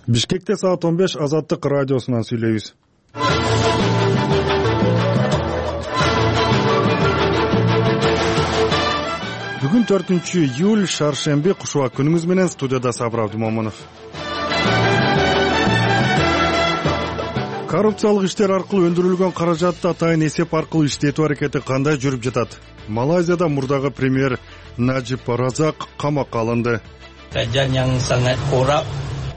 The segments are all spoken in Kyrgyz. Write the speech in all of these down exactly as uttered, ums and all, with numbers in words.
Бишкекте саат он беш Азаттык радиосунан сүйлөйбүз. Бүгүн төртүнчү июль, шаршемби, кушубак күнүңүз менен. Студияда Сабыр Абдымомунов. Коррупциялык иштер аркылуу өндүрүлгөн каражатты атайын эсеп аркылуу иштетүү аракети кандай жүрүп жатат? Малайзияда мурдагы премьер Najib Razak камакка алынды.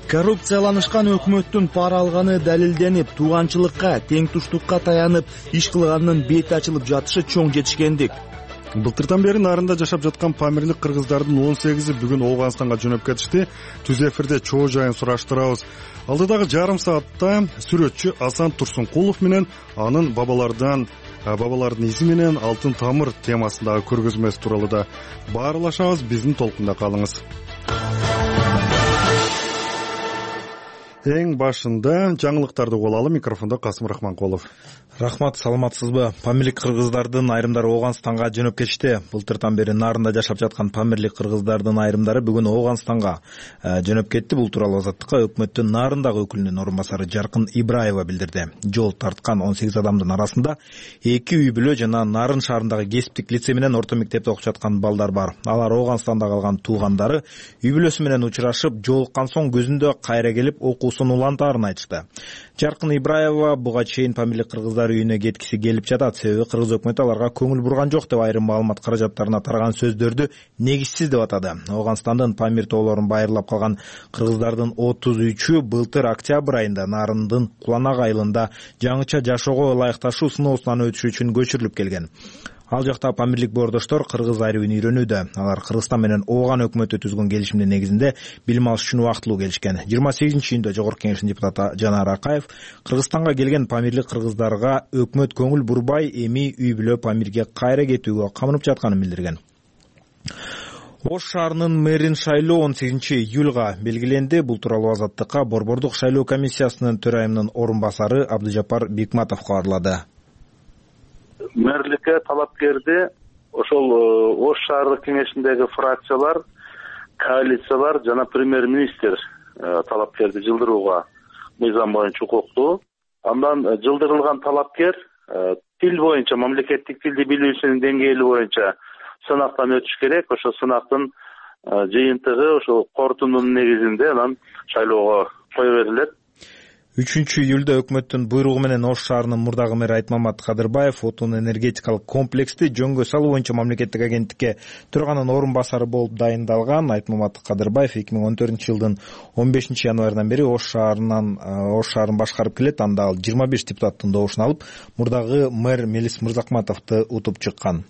Коррупцияланышкан өкмөттүн пара алганы далилденип, тууганчылыкка, тең туштукка таянып иш кылганынын бети ачылып жатышы чоң жетишкендик. Былтырдан бери нарында жашап жаткан памирлик кыргыздардын он сегизи бүгүн Ооганстанга жөнөп кетишти. Түз эфирде чоо жайын сураштырабыз. Алдыдагы жарым саатта сүрөтчү Асан Турсункулов менен анын бабалардан бабалардын изи менен алтын тамыр темасындагы көргөзмөсү тууралуу да баарлашабыз. Биздин толкунда калыңыз. Эң башында жаңылыктарды угуп алалы. Микрофондо Касым Рахманкулов. Рахмат, саламатсызбы? Памирлик кыргыздардын айрымдары Ооганстанга жөнөп кетишти. Былтырдан бери нарында жашап жаткан памирлик кыргыздардын айрымдары бүгүн Ооганстанга жөнөп кетти. Бул тууралуу Азаттыкка өкмөттүн нарындагы өкүлүнүн орун басары Жаркын Ибраева билдирди. Жол тарткан он сегиз адамдын арасында эки үй бүлө жана Нарын шаарындагы кесиптик лицей менен орто мектепте окуп жаткан балдар бар. Алар Ооганстанда калган туугандары үй бүлөсү менен учурашып, жолуккан соң көзүндө кайра келип окуусун улантаарын айтышты. Жаркын Ибраева буга чейин памирлик кыргыздар үйүнө кеткиси келип жатат. Себеби кыргыз өкмөтү аларга көңүл бурган жок деп айрым маалымат каражаттарына тараган сөздөрдү негизсиз деп атады. Ооганстандын памир тоолорун байырлап калган кыргыздардын отуз үчү былтыр октябрь айында Нарындын Куланак айылында жаңыча жашоого ылайыкташуу сыноосунан өтүш үчүн көчүрүлүп келген. Ал жакта памирлик боордоштор кыргыз айрыбын үйрөнүүдө. Алар Кыргызстан менен Ооган өкмөтү түзгөн келишимдин негизинде билим алыш үчүн убактылуу келишкен. жыйырма сегизинчи июнда Жогорку Кеңештин депутаты Жанар Акаев Кыргызстанга келген памирлик кыргыздарга өкмөт көңүл бурбай, эми үй бүлө памирге кайра кетүүгө камынып жатканын билдирген. Ош шаарынын мэрин шайлоо он сегизинчи июлга белгиленди. Бул тууралуу Азаттыкка Борбордук шайлоо комиссиясынын төрайымынын орун басары Абдыжапар Бекматов кабарлады. Мэрликке талапкерди ошол Ош шаардык кеңешиндеги фракциялар, коалициялар жана премьер-министр талапкерди жылдырууга мыйзам боюнча укуктуу. Андан жылдырылган талапкер тил боюнча, мамлекеттик тилди билүүсүнүн деңгээли боюнча сынактан өтүш керек. Ошол сынактын жыйынтыгы ошол корутундун негизинде анан шайлоого кое берилет. үчүнчү июлда өкмөттүн буйругу менен Ош шаарынын мурдагы мэри Айтмамат Кадырбаев отун энергетикалык комплексти жөнгө салуу боюнча мамлекеттик агенттикке төраганын орун басары болуп дайындалган. Айтмамат Кадырбаев эки миң он төртүнчү жылдын он бешинчи январынан бери Ош шаарынан Ош шаарын башкарып келет. Анда ал жыйырма беш депутаттын добушун алып, мурдагы мэр Мелис Мырзакматовду утуп чыккан.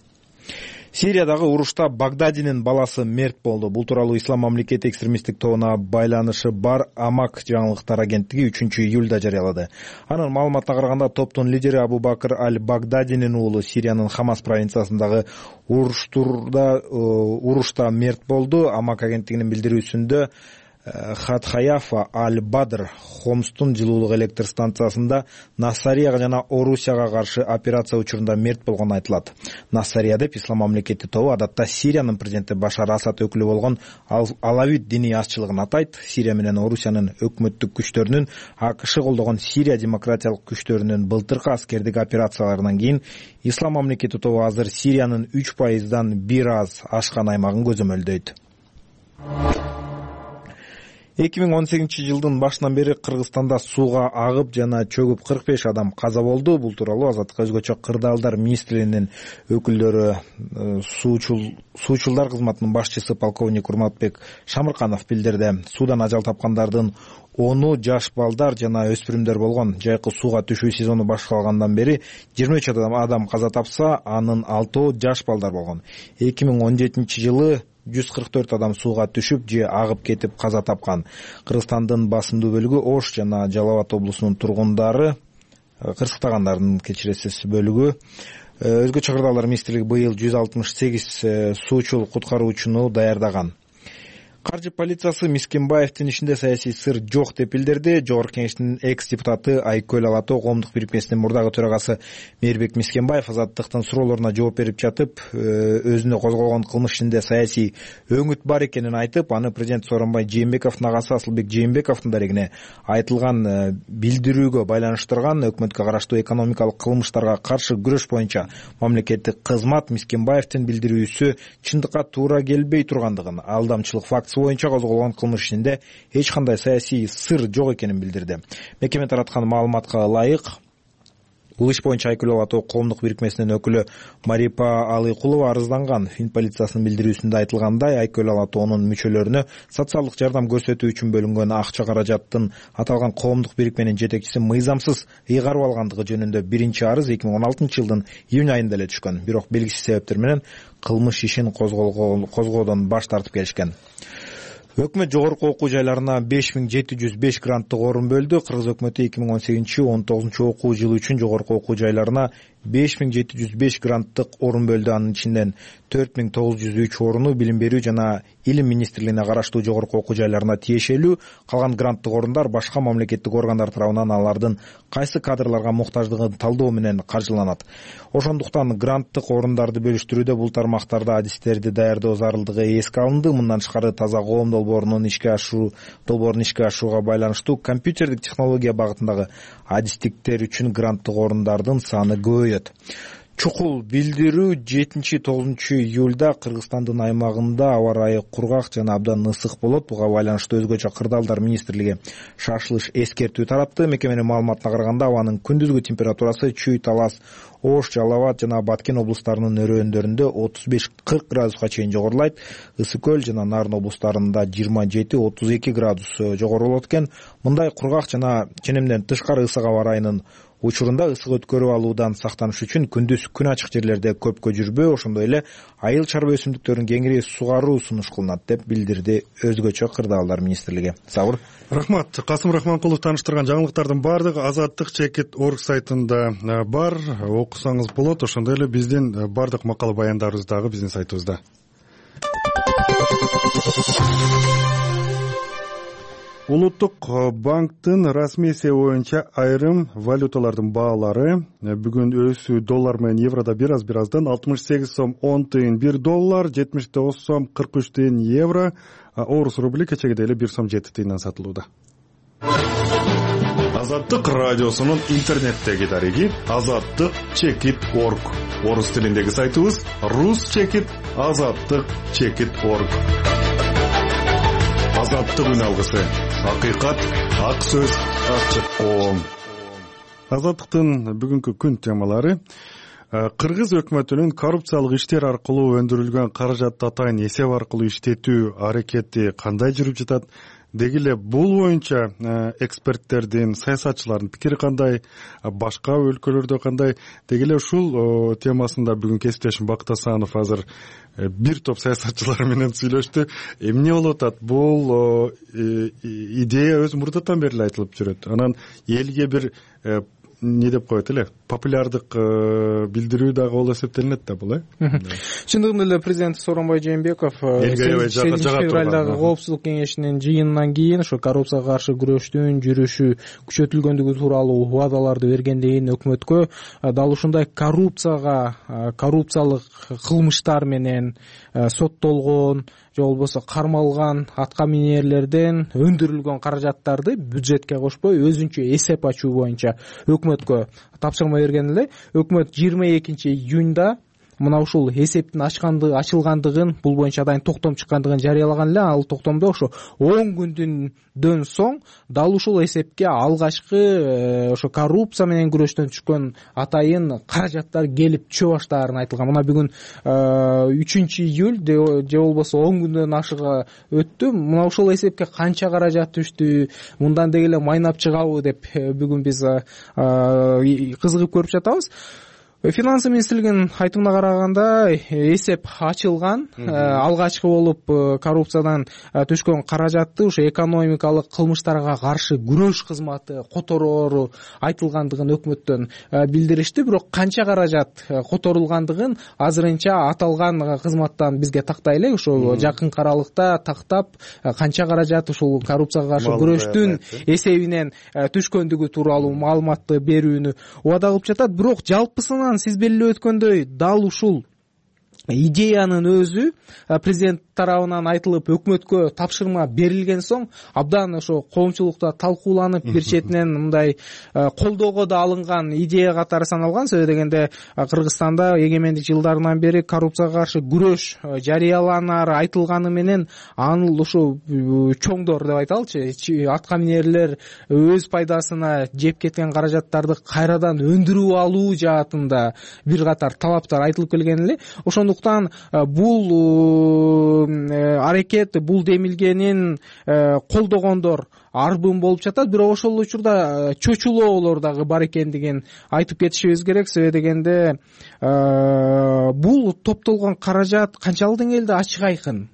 Сириядагы урушта Багдадинин баласы мерт болду. Бул тууралуу Ислам мамлекети экстремисттик тобуна байланышы бар Амак жаңылыктар агенттиги үчүнчү июлда жарыялады. Анын маалыматына караганда, топтун лидери Абу Бакр аль-Багдадинин уулу Сириянын Хамас провинциясындагы уруштурда урушта мерт болду. Амак агенттигинин билдирүүсүндө Хатхаяфа аль-Бадр Хомстун жылуулук электр станциясында Нассарияга жана Орусияга каршы операция учурунда мерт болгону айтылат. Нассария деп Ислам мамлекети тобу адатта Сириянын президенти Башар Асад өкүлү болгон Алавит диний азчылыгын атайт. Сирия менен Орусиянын өкмөттүк күчтөрүнүн АКШ колдогон Сирия демократиялык күчтөрүнүн былтыркы аскердик операцияларынан кийин Ислам мамлекети тобу азыр Сириянын үч пайыздан бир аз ашкан аймагын көзөмөлдөйт. эки миң он сегизинчи жылдын башынан бери Кыргызстанда сууга агып жана чөгүп кырк беш адам каза болду. Бул тууралуу Азаттыкка өзгөчө кырдаалдар министрлигинин өкүлдөрү суучул суучулдар кызматынын башчысы полковник Урматбек Шамырканов билдирди. Суудан ажал тапкандардын ону жаш балдар жана өспүрүмдөр болгон. Жайкы сууга түшүү сезону башталгандан бери жыйырма үч адам каза тапса, анын алтоо жаш балдар болгон. эки миң он жетинчи жылы жүз кырк төрт адам сууга түшүп же агып кетип каза тапкан. Кыргызстандын басымдуу бөлүгү Ош жана Жалал Абад облусунун тургундары, кырсыктагандардын кечиресиз бөлүгү. Өзгөчө кырдаалдар министрлиги быйыл жүз алтымыш сегиз суучул куткаруучуну даярдаган. Каржы полициясы Мискенбаевдин ишинде саясий сыр жок деп билдирди. Жогорку кеңештин экс депутаты Айкөл Ала Тоо коомдук бирикмесинин мурдагы төрагасы Мээрбек Мискенбаев Азаттыктын суроолоруна жооп берип жатып, өзүнө козголгон кылмыш ишинде саясий өңүт бар экенин айтып, аны президент Сооронбай Жээнбековдун агасы Асылбек Жээнбековдун дарегине айтылган билдирүүгө байланыштырган. Өкмөткө караштуу экономикалык кылмыштарга каршы күрөш боюнча мамлекеттик кызмат Мискенбаевдин билдирүүсү чындыкка туура келбей тургандыгын, алдамчылык фактысы боюнча козголгон кылмыш ишинде эч кандай саясий сыр жок экенин билдирди. Мекеме тараткан маалыматка ылайык, бул иш боюнча Айкөл Ала Тоо коомдук бирикмесинин өкүлү Марипа Алыкулова арызданган. Фин полициясынын билдирүүсүндө айтылгандай, Айкөл Ала Тоонун мүчөлөрүнө социалдык жардам көрсөтүү үчүн бөлүнгөн акча каражаттын аталган коомдук бирикменин жетекчиси мыйзамсыз ыйгарып алгандыгы жөнүндө биринчи арыз эки миң он алтынчы жылдын июнь айында эле түшкөн. Бирок белгисиз себептер менен кылмыш ишин козгоодон баш тартып келишкен. Өкмөт жогорку окуу жайларына беш миң жети жүз беш гранттык орун бөлдү. Кыргыз өкмөтү эки миң он сегизинчи он тогузунчу окуу жылы үчүн жогорку окуу жайларына беш миң жети жүз беш гранттык орун бөлдү. Анын ичинен төрт миң тогуз жүз үч оруну билим берүү жана илим министрлигине караштуу жогорку окуу жайларына тиешелүү. Калган гранттык орундар башка мамлекеттик органдар тарабынан алардын кайсы кадрларга муктаждыгын талдоо менен каржыланат. Ошондуктан гранттык орундарды бөлүштүрүүдө бул тармактарда адистерди даярдоо зарылдыгы эске алынды. Мындан тышкары таза коом долбоорунун ишке ашуу долбоорун ишке ашууга байланыштуу компьютердик технология багытындагы адистиктер үчүн гранттык орундардын саны көбөйөт. Чукул билдирүү жетинчи тогузунчу июлда Кыргызстандын аймагында аба ырайы кургак жана абдан ысык болот. Буга байланыштуу өзгөчө Кырдаалдар министрлиги шашылыш эскертүү таратты. Мекеменин маалыматына караганда, абанын күндүзгү температурасы Чүй, Талас, Ош, Жалал Абад жана Баткен облустарынын өрөөндөрүндө отуз беш кырк градуска чейин жогорулайт. Ысык көл жана Нарын облустарында жыйырма жети отуз эки градус жогору болот экен. Мындай кургак жана ченемден тышкары ысык аба ырайынын учурунда ысык өткөрүп алуудан сактаныш үчүн күндүз күн ачык жерлерде көпкө жүрбөө, ошондой эле айыл чарба өсүмдүктөрүн кеңири сугаруу сунуш кылынат деп билдирди өзгөчө Кырдаалдар министрлиги. Сабыр. Рахмат. Касым Рахманкулов тааныштырган жаңылыктардын баардыгы Азаттык чекит орг сайтында бар, окусаңыз болот. Ошондой эле биздин баардык макала баяндарыбыз дагы биздин сайтыбызда. Улуттук банктын расмий эсеби боюнча айрым валюталардын баалары бүгүн өсүү доллар менен еврода бир аз бир аздан алтымыш сегиз сом он тыйын бир доллар, жетимиш тогуз сом кырк үч тыйын евро, орус рубли кечеге эле бир сом жети тыйындан сатылууда. Азаттык радиосунун интернеттеги дареги азаттык чекит орг. Орус тилиндеги сайтыбыз рус чекит азаттык чекит орг. Азаттык үн алгысы. Акыйкат, ак сөз, ачык коом. Азаттыктын бүгүнкү күн темалары: Кыргыз өкмөтүнүн коррупциялык иштер аркылуу өндүрүлгөн каражатты атайын эсеп аркылуу иштетүү аракети кандай жүрүп жатат? Деги эле бул боюнча эксперттердин, саясатчылардын пикири кандай, башка өлкөлөрдө кандай? Деги эле ушул темасында бүгүн кесиптешим Бакыт Асанов азыр бир топ саясатчылар менен сүйлөштү. Эмне болуп атат? Бул идея өз мурдатан бери эле айтылып жүрөт. Анан элге бир не деп коет эле, популярдык билдирүү дагы болуп эсептелинет да бул, э? Чындыгында эле президент Сооронбай Жээнбеков сегизинчи февралдагы коопсуздук кеңешинин жыйынынан кийин ошо коррупцияга каршы күрөштүн жүрүшү күчөтүлгөндүгү тууралуу убадаларды бергенден өкмөткө дал ушундай коррупцияга, коррупциялык кылмыштар менен соттолгон же болбосо кармалган атка минерлерден өндүрүлгөн каражаттарды бюджетке кошпой өзүнчө эсеп ачуу боюнча өкмөткө тапшырма берген эле. Өкмөт жыйырма экинчи июнда мына ушул эсептин ачкандыгы ачылгандыгын, бул боюнча дайым токтом чыккандыгын жарыялаган эле. Ал токтомдо ошо он күндөн соң дал ушул эсепке алгачкы ошо коррупция менен күрөштөн түшкөн атайын каражаттар келип түшө баштаарын айтылган. Мына бүгүн үчүнчү июль же болбосо он күндөн ашыга өттү. Мына ушул эсепке канча каражат түштү, мындан деги эле майнап чыгабы деп бүгүн биз кызыгып көрүп жатабыз. Финансы министрлигинин айтымына караганда эсеп ачылган. Алгачкы болуп коррупциядан түшкөн каражатты ушу экономикалык кылмыштарга каршы күрөш кызматы котороору айтылгандыгын өкмөттөн билдиришти. Бирок канча каражат которулгандыгын азырынча аталган кызматтан бизге тактай элек. Ошо жакынкы аралыкта тактап канча каражат ушул коррупцияга каршы күрөштүн эсебинен түшкөндүгү тууралуу маалыматты берүүнү убада кылып жатат. Бирок жалпысынан сиз белгилеп өткөндөй дал ушул идеянын өзү президент тарабынан айтылып өкмөткө тапшырма берилген соң абдан ошо коомчулукта талкууланып, бир четинен мындай колдоого да алынган идея катары саналган. Сөзсүз дегенде Кыргызстанда эгемендик жылдарынан бери коррупцияга каршы күрөш жарыяланары айтылганы менен аны ушу чоңдор деп айталычы, атка минерлер өз пайдасына жеп кеткен каражаттарды кайрадан өндүрүп алуу жаатында бир катар талаптар айтылып келген эле. Ошондуктан бул аракет, бул демилгенин колдогондор арбын болуп жатат. Бирок ошол учурда чочулоолор дагы бар экендигин айтып кетишибиз керек. Себеби дегенде бул топтолгон каражат канчалык деңгээлде ачык айкын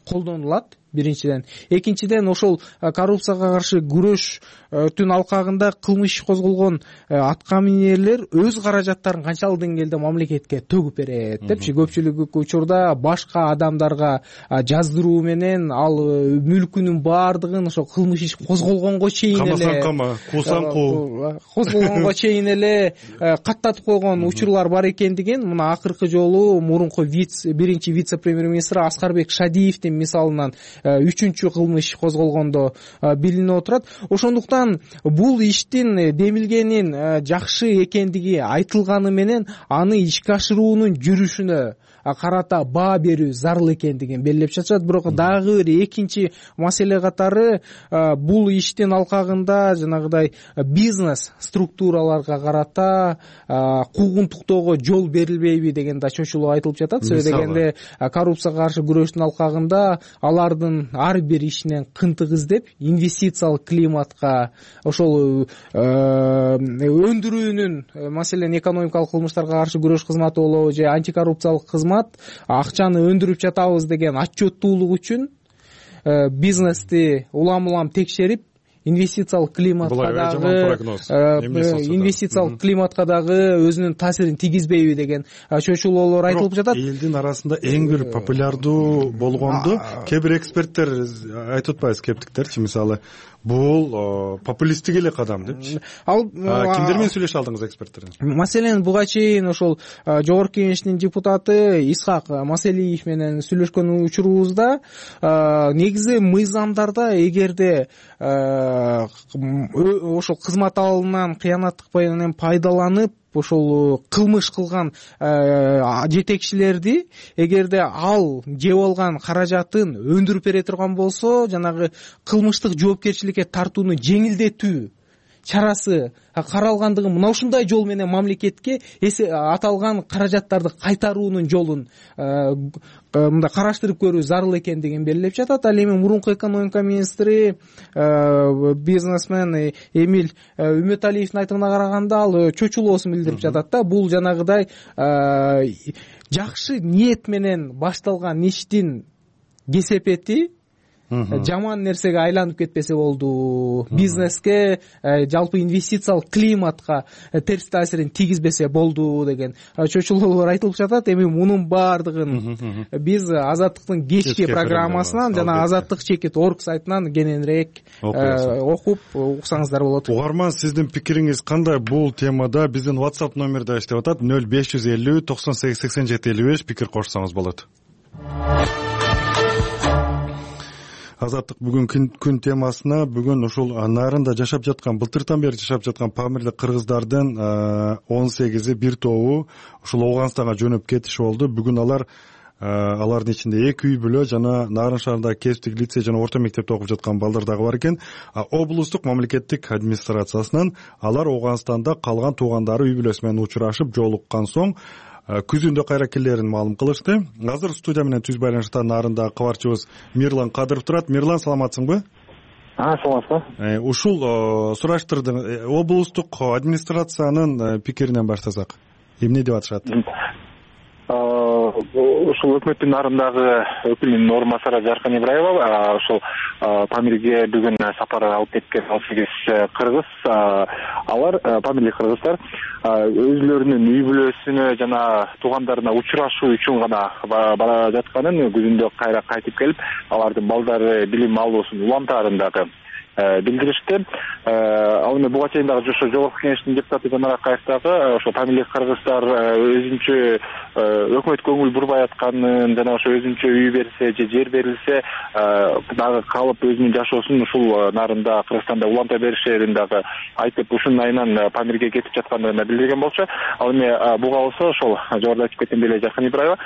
колдонулат биринчиден. Экинчиден ошол коррупцияга каршы күрөштүн алкагында кылмыш козголгон атка минерлер өз каражаттарын канчалык деңгээлде мамлекетке төгүп берет депчи. Көпчүлүк учурда башка адамдарга жаздыруу менен ал мүлкүнүн баардыгын ошо кылмыш иш козголгонго чейин эле камасаң кама, куусаң куу козголгонго чейин эле каттатып койгон учурлар бар экендигин мына акыркы жолу мурунку биринчи вице-премьер-министр Аскарбек Шадиевдин мисалынан үчүнчү кылмыш козголгондо билинип отурат. Ошондуктан бул иштин демилгенин жакшы экендиги айтылганы менен аны ишке ашыруунун жүрүшүнө карата баа берүү зарыл экендигин белгилеп жатышат. Бирок дагы бир экинчи маселе катары бул иштин алкагында жанагыдай бизнес структураларга карата куугунтуктоого жол берилбейби деген да чочулоо айтылып жатат. Себеби дегенде коррупцияга каршы күрөштүн алкагында алардын ар бир ишинен кынтык издеп инвестициялык климатка, ошол өндүрүүнүн, маселен экономикалык кылмыштарга каршы күрөш кызматы болобу же антикоррупциялык кызмат акчаны өндүрүп жатабыз деген отчеттуулук үчүн бизнести улам улам текшерип инвестициялык климатка дагы инвестициялык климатка дагы өзүнүн таасирин тийгизбейби деген чочулоолор айтылып жатат. Элдин арасында эң бир популярдуу болгонду кээ бир эксперттер айтып атпайбы, скептиктерчи, мисалы бул популисттик эле кадам депчи. Ал кимдер менен сүйлөшө алдыңыз эксперттер? Маселен буга чейин ошол жогорку кеңештин депутаты Исхак Маселиев менен сүйлөшкөн учурубузда негизи мыйзамдарда эгерде ошол кызмат алымынан кыянаттык менен пайдаланып ошол кылмыш кылган жетекчилерди эгерде ал жеп алган каражатын өндүрүп бере турган болсо, жанагы кылмыштык жоопкерчиликке тартууну жеңилдетүү чарасы каралгандыгын, мына ушундай жол менен мамлекетке аталган каражаттарды кайтаруунун жолун мындай караштырып көрүү зарыл экендигин белгилеп жатат. Ал эми мурунку экономика министри бизнесмен Эмиль Үмөталиевдин айтымына караганда ал чочулоосун билдирип жатат да. Бул жанагыдай жакшы ниет менен башталган иштин кесепети жаман нерсеге айланып кетпесе болду, бизнеске, жалпы инвестициялык климатка терс таасирин тийгизбесе болду деген чочулоолор айтылып жатат. Эми мунун баардыгын биз Азаттыктын кечки программасынан жана Азаттык чекит орг сайтынан кененирээк окуп уксаңыздар болот. Угарман, сиздин пикириңиз кандай бул темада? Биздин WhatsApp номери да иштеп атат: нөл беш жүз элүү токсон сегиз сексен жети элүү беш. Пикир кошсоңуз болот. Азаттык бүгүн күн темасына бүгүн ушул нарында жашап жаткан, былтыртан бери жашап жаткан памирлик кыргыздардын он сегизи бир тобу ушул Ооганстанга жөнөп кетиши болду. Бүгүн алар алардын ичинде эки үй бүлө жана Нарын шаарындагы кесиптик лицей жана орто мектепте окуп жаткан балдар дагы бар экен. Облустук мамлекеттик администрациясынан алар Ооганстанда калган туугандары үй бүлөсү менен учурашып жолуккан соң күзүндө кайра келерин маалым кылышты. Азыр студия менен түз байланышта Нарындагы кабарчыбыз Мирлан Кадыров турат. Мирлан, саламатсыңбы? А, саламатсызбы. Ушул сураштырдым. Облустук администрациянын пикиринен баштасак. эмне деп атышат? Ушул өкмөттүн нарындагы өкүлүнүн орун басары Жаркан Ибраева ошол Памирге бүгүн сапар алып кеткен он сегиз кыргыз, алар памирлик кыргыздар өзүлөрүнүн үй бүлөсүнө жана туугандарына учурашуу үчүн гана бара жатканын, күзүндө кайра кайтып келип, алардын балдары билим алуусун улантаарындагы билдиришти. Ал эми буга чейин дагы ошо Жогорку Кеңештин депутаты Жанар Акаев дагы ошо памирлик кыргыздар өзүнчө өкмөт көңүл бурбай атканын жана ошо өзүнчө үй берсе же жер берилсе дагы калып өзүнүн жашоосун ушул нарында Кыргызстанда уланта беришерин дагы айтып, ушунун айынан Памирге кетип жаткандыгын билдирген болчу. Ал эми буга болсо ошол жогоруда айтып кеткендей эле Жаркан Ибраева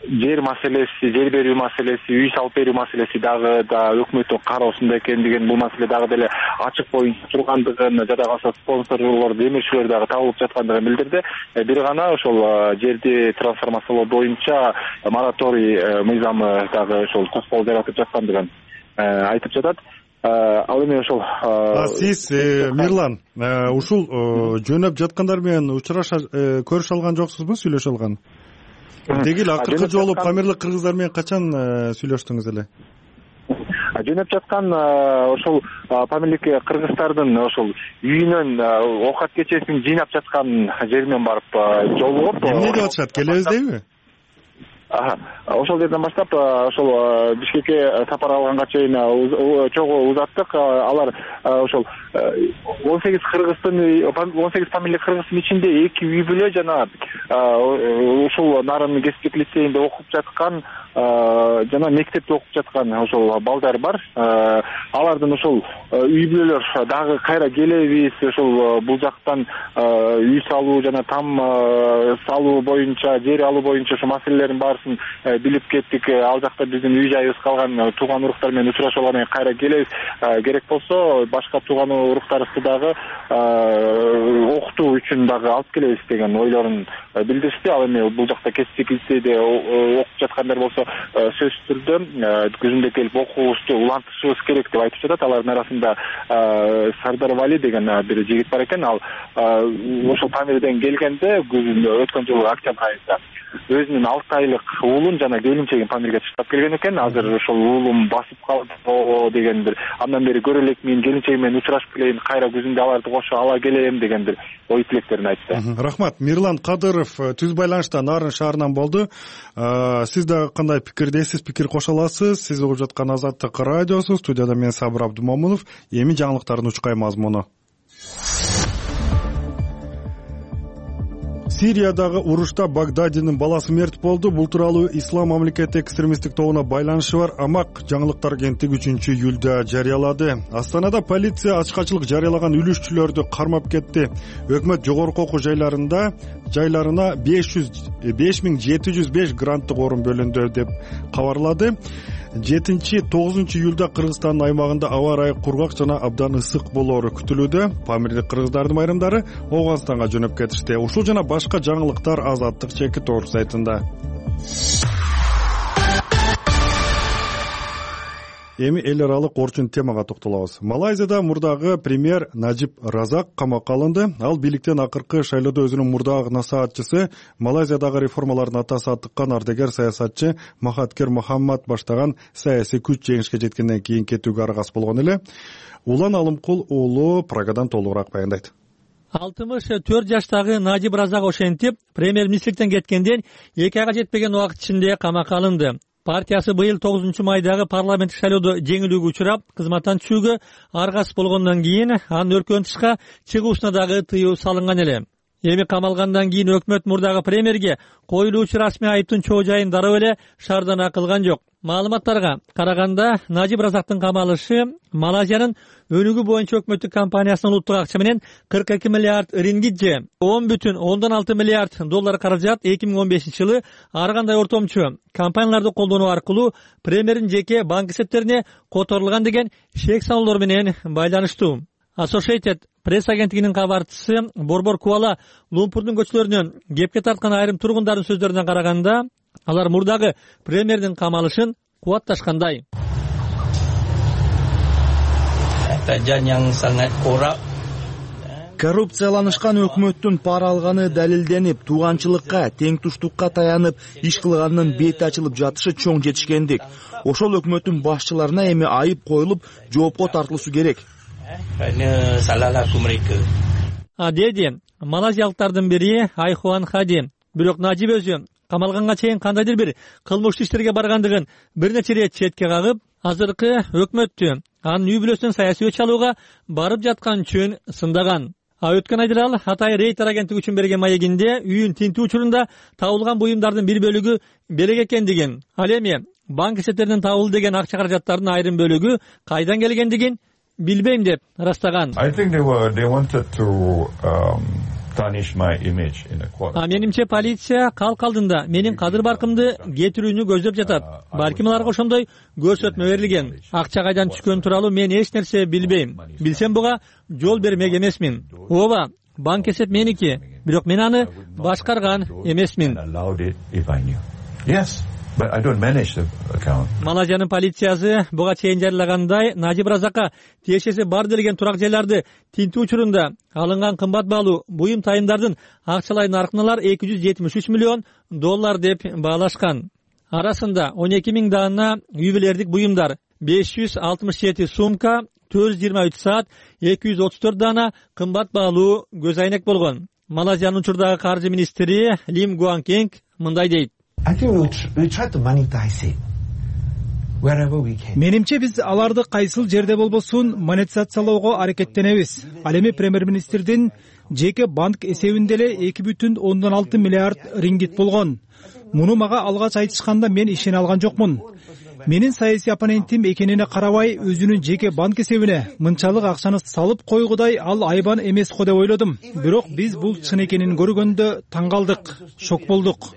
жер маселеси, жер берүү маселеси, үй салып берүү маселеси дагы да өкмөттүн кароосунда экендигин, бул маселе дагы деле ачык боюнча тургандыгын, жада калса спонсорлор, демирчилер дагы табылып жаткандыгын билдирди. Бир гана ошол жерди трансформациялоо боюнча мораторий мыйзамы дагы ошол тоскоол жаратып жаткандыгын айтып жатат. Ал эми ошол сиз Мирлан ушул жөнөп жаткандар менен учураша көрүшө алган жоксузбу, сүйлөшө алган? Деги эле акыркы жолу памирлик кыргыздар менен качан сүйлөштүңүз эле? Жөнөп жаткан ошол памирлик кыргыздардын ошол үйүнөн оокат кечесин жыйнап жаткан жеринен барып жолугуп. Эмне деп атышат? Келебиз дейби? Ошол жерден баштап ошол Бишкекке сапар алганга чейин чогуу узаттык. Алар ошол он сегиз кыргыздын он сегиз памирлик кыргыздын ичинде эки үй бүлө жана ушул нарын кесиптик лицейинде окуп жаткан жана мектепте окуп жаткан ошол балдар бар. Алардын ошол үй бүлөлөр дагы кайра келебиз, ошол бул жактан үй салуу жана там салуу боюнча, жер алуу боюнча ошо маселелердин баарысын билип кеттик. Ал жакта биздин үй жайыбыз калган, тууган уруктар менен учурашып алгандан кийин кайра келебиз. Керек болсо башка тууган уруктарыбызды дагы окутуу үчүн дагы алып келебиз деген ойлорун билдиришти. Ал эми бул жакта кесиптик лицейде окуп жаткандар болсо сөзсүз түрдө күзүндө келип окуубузду улантышыбыз керек деп айтып жатат. Алардын арасында Сардар Вали деген бир жигит бар экен. Ал ошол Памирден келгенде күзүндө өткөн жылы октябрь айында өзүнүн алты айлык уулун жана келинчегин Памирге таштап келген экен. Азыр ошол уулум басып калды деген бир, андан бери көрө элекмин, келинчегим менен учурашып келейин, кайра күзүндө аларды кошо ала келем деген бир ой тилектерин айтты. Рахмат. Мирлан Кадыров түз байланышта Нарын шаарынан болду. Сиз дагы кандай пикирдесиз, пикир кошо аласыз? Сиз угуп жаткан Азаттык радиосу, студияда мен Сабыр Абдумомунов. Эми жаңылыктардын учкай мазмуну. Сириядагы урушта Багдадинин баласы мерт болду. Бул тууралуу Ислам мамлекети экстремисттик тобуна байланышы бар Амак жаңылыктар агенттиги үчүнчү июлда жарыялады. Астанада полиция ачкачылык жарыялаган үлүшчүлөрдү кармап кетти. Өкмөт жогорку окуу жайларында жайларына беш миң жети жүз беш гранттык орун бөлүндү деп кабарлады. жетинчи тогузунчу июлда Кыргызстандын аймагында аба ырайы кургак жана абдан ысык болоору күтүлүүдө. Памирлик кыргыздардын айрымдары Ооганстанга жөнөп кетишти. Ушул жана башка жаңылыктар Азаттык чекит орг сайтында. Эми эл аралык орчун темага токтолобуз. Малайзияда мурдагы премьер Najib Razak камакка алынды. Ал бийликтен акыркы шайлоодо өзүнүн мурдагы насаатчысы, Малайзиядагы реформалардын атасы аттыккан ардагер саясатчы Махаткер Мохаммад баштаган саясий күч жеңишке жеткенден кийин кетүүгө аргасыз болгон эле. Улан Алымкул уулу Прагадан толугураак баяндайт. алтымыш төрт жаштагы Najib Razak ошентип, премьер-министрликтен кеткенден эки айга жетпеген убакыт ичинде камакка алынды. Партиясы быйыл тогузунчу майдагы парламенттик шайлоодо жеңилүүгө учурап, кызматтан түшүүгө аргасыз болгондон кийин анын өлкөдөн тышка чыгуусуна дагы тыюу салынган эле. Эми камалгандан кийин өкмөт мурдагы премьерге коюлуучу расмий айыптын чоо жайын дароо эле шаардана кылган жок. Маалыматтарга караганда, Najib Razактын камалышы Малайзиянын өнүгүү боюнча өкмөттүк компаниясынын улуттук акча менен кырк эки миллиард рингит же он бүтүн ондон алты миллиард доллар каражат эки миң он бешинчи жылы ар кандай ортомчу компанияларды колдонуу аркылуу премьердин жеке банк эсептерине которулган деген шек саноолор менен байланыштуу. Associated пресс агенттигинин кабарчысы Борбор Куала Лумпурдун көчөлөрүнөн кепке тарткан айрым тургундардын сөздөрүнө караганда, алар мурдагы премьердин камалышын кубатташкандай. коррупцияланышкан өкмөттүн пара алганы далилденип, тууганчылыкка, теңтуштукка таянып иш кылганынын бети ачылып жатышы чоң жетишкендик. Ошол өкмөттүн башчыларына эми айып коюлуп, жоопко тартылышы керек. А деди малазиялыктардын бири Айхуан Хади. Бирок Нажиб өзү камалганга чейин кандайдыр бир кылмыштуу иштерге баргандыгын бир нече ирет четке кагып, азыркы өкмөттү анын үй бүлөсүнөн саясий өч алууга барып жаткан үчүн сындаган. А өткөн айда ал Атай Рейтер агенттиги үчүн берген маегинде үйүн тинтүү учурунда табылган буюмдардын бир бөлүгү белек экендигин, ал эми банк эсептеринен табылды деген акча каражаттардын айрым бөлүгү кайдан келгендигин билбейм деп ырастаган. А менимче полиция калк алдында менин кадыр баркымды кетирүүнү көздөп жатат. Балким аларга ошондой көрсөтмө берилген. Акча кайдан түшкөнү тууралуу мен эч нерсе билбейм. Билсем буга жол бермек эмесмин. Ооба, банк эсеп меники, бирок мен аны башкарган эмесмин. Малайзиянын полициясы буга чейин жарыялагандай Нажиб Разакка тиешеси бар делген турак жайларды тинтүү учурунда алынган кымбат баалуу буюм тайымдардын акчалай наркын алар эки жүз жетимиш үч миллион доллар деп баалашкан. Арасында он эки миң даана үй бүлөлүк буюмдар, беш жүз алтымыш жети сумка, төрт жүз жыйырма үч саат, эки жүз отуз төрт даана кымбат баалуу көз айнек болгон. Малайзиянын учурдагы каржы министри Лим Гуанкенг мындай дейт. Менимче биз аларды кайсыл жерде болбосун монетизациялоого аракеттенебиз. Ал эми премьер-министрдин жеке банк эсебинде эле эки бүтүн ондон алты миллиард рингит болгон. Муну мага алгач айтышканда мен ишене алган жокмун. Менин саясий оппонентим экенине карабай өзүнүн жеке банк эсебине мынчалык акчаны салып койгудай ал айбан эмес го деп ойлодум. Бирок биз бул чын экенин көргөндө таң калдык, шок болдук.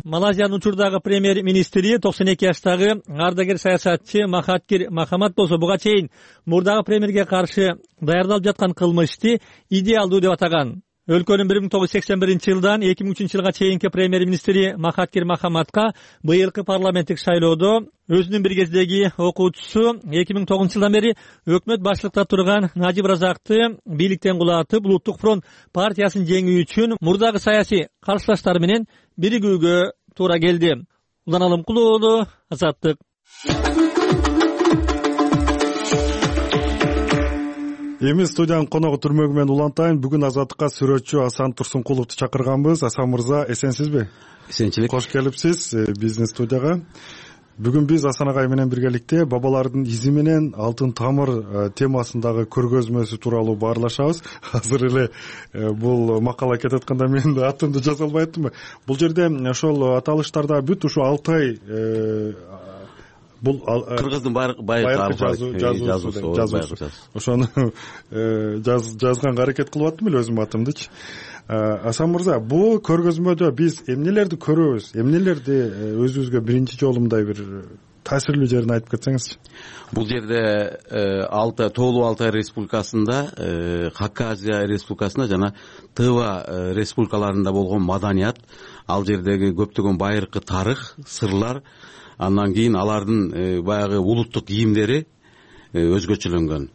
Малайзиянын учурдагы премьер-министри токсон эки жаштагы ардагер саясатчы Махатхир Махамад болсо буга чейин мурдагы премьерге каршы даярдалып жаткан кылмышты идеалдуу деп атаган. Өлкөнүн бир миң тогуз жүз сексен биринчи жылдан эки миң үчүнчү жылга чейинки премьер-министри Махатхир Махамадка быйылкы парламенттик шайлоодо өзүнүн бир кездеги окуучусу эки миң тогузунчу жылдан бери өкмөт башчылыкта турган Нажиб Разакты бийликтен кулатып, Улуттук фронт партиясын жеңүү үчүн мурдагы саясий каршылаштары менен биригүүгө туура келди. Улан Алымкулуу уулу, Азаттык. Эми студиянын коногу түрмөгү менен улантайын. Бүгүн Азаттыкка сүрөтчү Асан Турсункуловду чакырганбыз. Асан мырза, эсенсизби? Эсенчилик. Кош келипсиз биздин студияга. Бүгүн биз Асан агай менен биргеликте бабалардын изи менен алтын тамыр темасындагы көргөзмөсү тууралуу баарлашабыз. Азыр эле бул макала кетип атканда мен атымды жаза албай аттым. Бул жерде ошол аталыштарда бүт ушу Алтай бул кыргыздын байыркы жазуусу ошону жазганга аракет кылып аттым эле өзүмдүн атымдычы. Асан мырза, бул көргөзмөдө биз эмнелерди көрөбүз, эмнелерди өзүбүзгө биринчи жолу мындай бир таасирлүү жерин айтып кетсеңизчи. Бул жерде Алтай, Тоолуу Алтай Республикасында, Хакасия Республикасында жана Тыва республикаларында болгон маданият, ал жердеги көптөгөн байыркы тарых, сырлар, андан кийин алардын баягы улуттук кийимдери өзгөчөлөнгөн.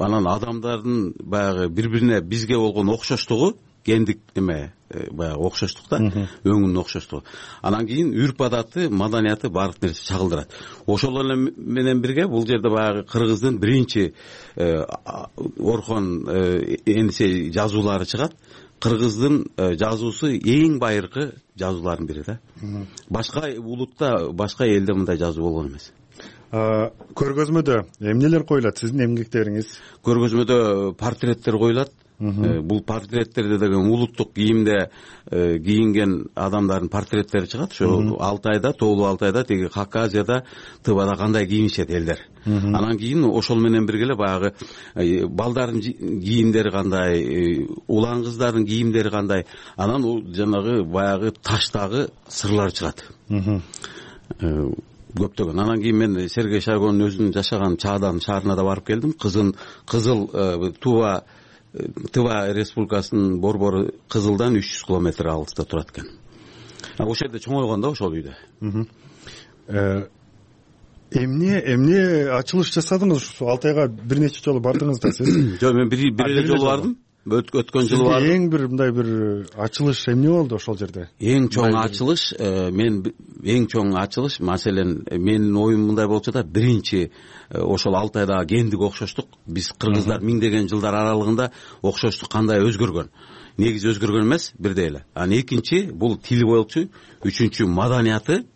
Анан адамдардын баягы бири-бирине бизге болгон окшоштугу, гендик эме баягы окшоштук да, өңүнүн окшоштугу. Анан кийин үрп адаты, маданияты баардык нерсе чагылдырат. Ошол эле менен бирге бул жерде баягы кыргыздын биринчи Орхон Энисей жазуулары чыгат. Кыргыздын жазуусу эң байыркы жазуулардын бири да. Башка улутта, башка элде мындай жазуу болгон эмес. Көргөзмөдө эмнелер коюлат, сиздин эмгектериңиз? Көргөзмөдө портреттер коюлат. Бул портреттерде деген улуттук кийимде кийинген адамдардын портреттери чыгат. Ошо Алтайда, Тоолуу Алтайда, тиги Хакасияда, Тывада кандай кийинишет элдер. Анан кийин ошол менен бирге эле баягы балдардын кийимдери кандай, улан кыздардын кийимдери кандай, анан жанагы баягы таштагы сырлар чыгат. Көптөгөн. Анан кийин мен Сергей Шойгунун өзүнүн жашаган Чаадан шаарына да барып келдим. Кызын кызыл Тува Тыва республикасынын борбору Кызылдан үч жүз километр алыста турат экен. Ошол жерде чоңойгон да, ошол үйдө. эмне эмне ачылыш жасадыңыз ушул Алтайга бир нече жолу бардыңыз да сиз? Жок, мен бир эле жолу бардым. Өткөн жылы бардым. Сизге эң бир мындай бир ачылыш эмне болду ошол жерде? Эң чоң ачылыш, мен эң чоң ачылыш, маселен, менин оюм мындай болуп жатат. Биринчи ошол Алтайдагы гендик окшоштук, биз кыргыздар миңдеген жылдар аралыгында окшоштук кандай өзгөргөн. Негизи өзгөргөн эмес, бирдей эле. Анан экинчи бул тили болчу, үчүнчү маданияты,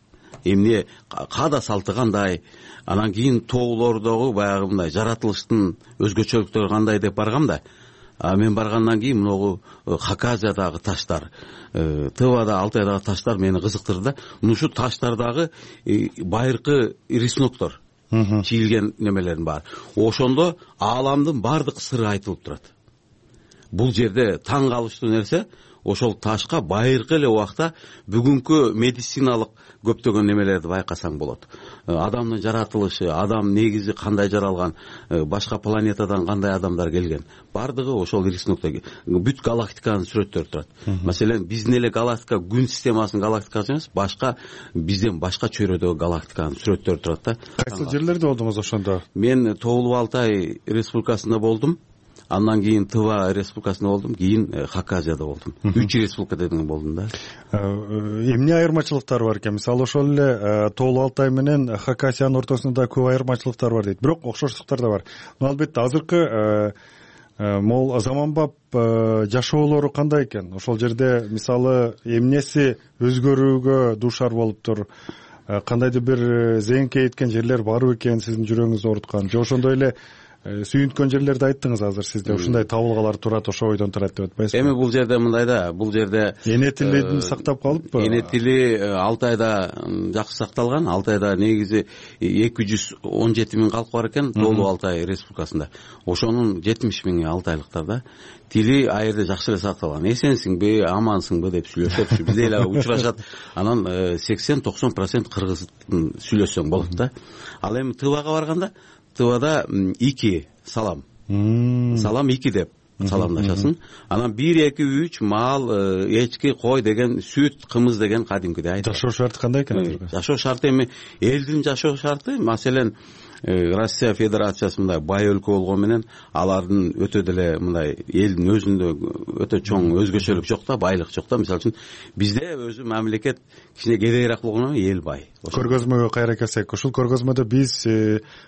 эмне каада салты кандай, анан кийин тоолордогу баягы мындай жаратылыштын өзгөчөлүктөрү кандай деп баргам да. А мен баргандан кийин могу Хакасиядагы таштар, Тывада, Алтайдагы таштар мени кызыктырды да. Ушул таштардагы байыркы рисуноктор, чийилген немелердин баары. Ошондо ааламдын бардык сыры айтылып турат. Бул жерде таң калыштуу нерсе, ошол ташка байыркы эле убакта бүгүнкү медициналык көптөгөн немелерди байкасаң болот. Адамдын жаратылышы, адам негизи кандай жаралган, башка планетадан кандай адамдар келген, бардыгы ошол рисунокто бүт галактиканын сүрөттөрү турат. Маселен, биздин эле галактика, күн системасынын галактикасы эмес, башка бизден башка чөйрөдөгү галактиканын сүрөттөрү турат да. Кайсы жерлерде болдуңуз ошондо? Мен Тоолуу Алтай республикасында болдум. Андан кийин Тыва республикасында болдум, кийин Хакасияда болдум. Үч республика дедиң болдум да. Эмне айырмачылыктар бар экен? Мисалы ошол эле Тоолуу Алтай менен Хакасиянын ортосунда көп айырмачылыктар бар дейт. Бирок окшоштуктар да бар. Но албетте азыркы могул заманбап жашоолору кандай экен? Ошол жерде мисалы эмнеси өзгөрүүгө дуушар болуптур? Кандайдыр бир зейинкейткен жерлер барбы экен сиздин жүрөгүңүздү ооруткан? Же ошондой эле сүйүнткөн жерлерди айттыңыз азыр сизде, ушундай табылгалар турат, ошо ойдон турат деп атпайсызбы? Эми бул жерде мындай да, бул жерде эне тилин сактап калыппы? Эне тили Алтайда жакшы сакталган. Алтайда негизи эки жүз он жети миң калк бар экен, Тоолуу Алтай республикасында. Ошонун жетимиш миңи алтайлыктар да. Тили айырда жакшы эле сакталган. Эсенсиңби, амансыңбы деп сүйлөшөт, бизде эле учурашат. Анан сексен токсон процент кыргыз сүйлөшсөң болот да. Ал эми Тывага барганда, Тывада ики салам. Салам ики деп саламдашасың. Анан бир, эки, үч мал, эчки, кой деген, сүт, кымыз деген кадимкидей айтат. Жашоо шарты кандай экен? Жашоо шарты эми элдин жашоо шарты, маселен, Россия Федерациясы мындай бай өлкө болгон менен алардын өтө деле мындай элдин өзүндө өтө чоң өзгөчөлүк жок да, байлык жок да. Мисалы үчүн бизде өзү мамлекет кичине кедейирээк болгону эл бай. Көргөзмөгө кайра келсек, ушул көргөзмөдө биз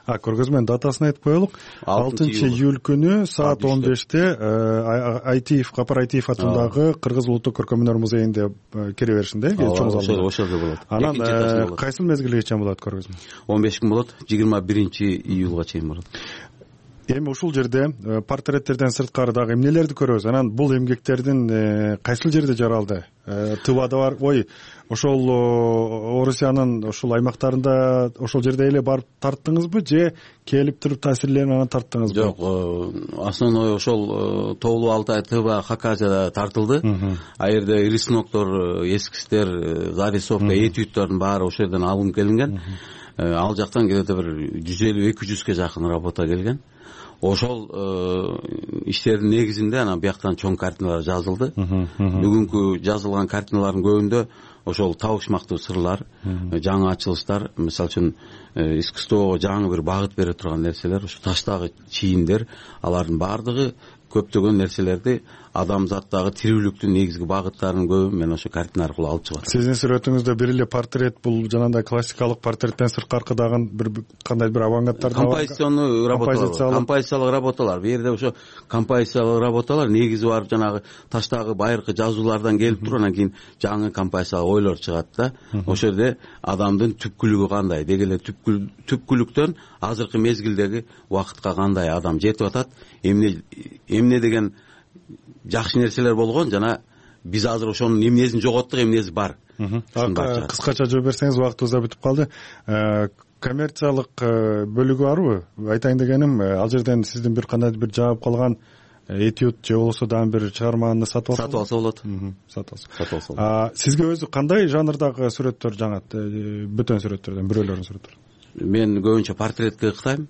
а көргөзмөнүн датасын айтып коелук. алтынчы июль күнү саат он беште Айтиев, Капар Айтиев атындагы Кыргыз улуттук көркөмдөр музейинде кире беришинде, чоң залда. Ошол болот. Анан кайсыл мезгилге чейин болот көргөзмө? он беш күн болот, жыйырма биринчи июлга чейин болот. Эми ушул жерде портреттерден сырткары дагы эмнелерди көрөбүз? Анан бул эмгектердин кайсыл жерде жаралды? Тывада бар, ой, ошол Орусиянын ошол аймактарында ошол жерде эле барып тарттыңызбы, же келип туруп таасирленип анан тарттыңызбы? Жок, основной ошол Тоолуу Алтай, Тыва, Хакасияда тартылды. А жерде рисуноктор, эскизтер, зарисовка, этюдтөрдүн баары ошол жерден алынып келинген. Ал жактан где-то бир жүз элүү эки жүзгө жакын работа келген. Ошол иштердин негизинде анан бияктан чоң картиналар жазылды. Бүгүнкү жазылган картиналардын көбүндө ошол табышмактуу сырлар, жаңы ачылыштар, мисалы үчүн искусствого жаңы бир багыт бере турган нерселер, ошо таштагы чийиндер, алардын баардыгы көптөгөн нерселерди адамзаттагы тирүүлүктүн негизги багыттарынын көбүн мен ошо картина аркылуу алып чыгат. Сиздин сүрөтүңүздө бир эле портрет, бул жанагындай классикалык портреттен сырткары дагы бир кандай бир авангарттар да бар. Композиционный работалар, композициялык работалар. Бу жерде ошо композициялык работалар негизи барып жанагы таштагы байыркы жазуулардан келип туруп, анан кийин жаңы композициялык ойлор чыгат да. Ошол жерде адамдын түпкүлүгү кандай, деги эле түпкүлүктөн азыркы мезгилдеги убакытка кандай адам жетип атат, эмне эмне деген жакшы нерселер болгон, жана биз азыр ошонун эмнесин жоготтук, эмнеси бар. Кыскача жооп берсеңиз, убактыбыз да бүтүп калды. Коммерциялык бөлүгү барбы? Айтайын дегеним, ал жерден сиздин бир кандайдыр бир жаап калган этюд же болбосо дагы бир чыгарманы сатып алса сатып алса болот. Сатып алса. Сатып алса болот. Сизге өзү кандай жанрдагы сүрөттөр жагат? Бөтөн сүрөттөрдөн бирөөлөрдүн сүрөттөрү? Мен көбүнчө портретке ыктайм.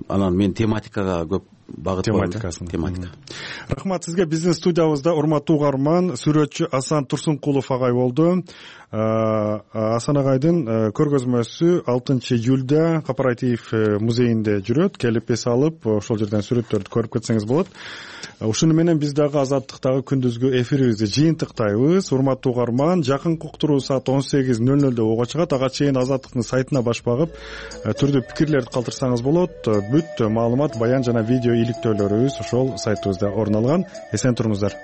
Анан мен тематикага көп багыт тематикасын тематика. Рахмат сизге. Биздин студиябызда урматтуу угарман, сүрөтчү Асан Турсункулов агай болду. Асан агайдын көргөзмөсү алтынчы июлда Кооператив музейинде жүрөт. Келип эс алып, ошол жерден сүрөттөрдү көрүп кетсеңиз болот. Ушуну менен биз дагы Азаттыктагы күндүзгү эфирибизди жыйынтыктайбыз. Урматтуу угарман, жакынкы уктуруу саат он сегиз нөл нөлдө ого чыгат. Ага чейин Азаттыктын сайтына баш багып, түрдүү пикирлерди калтырсаңыз болот. Бүт маалымат, баян жана видео иликтөөлөрүбүз ошол сайтыбызда орун алган. Эсен туруңуздар.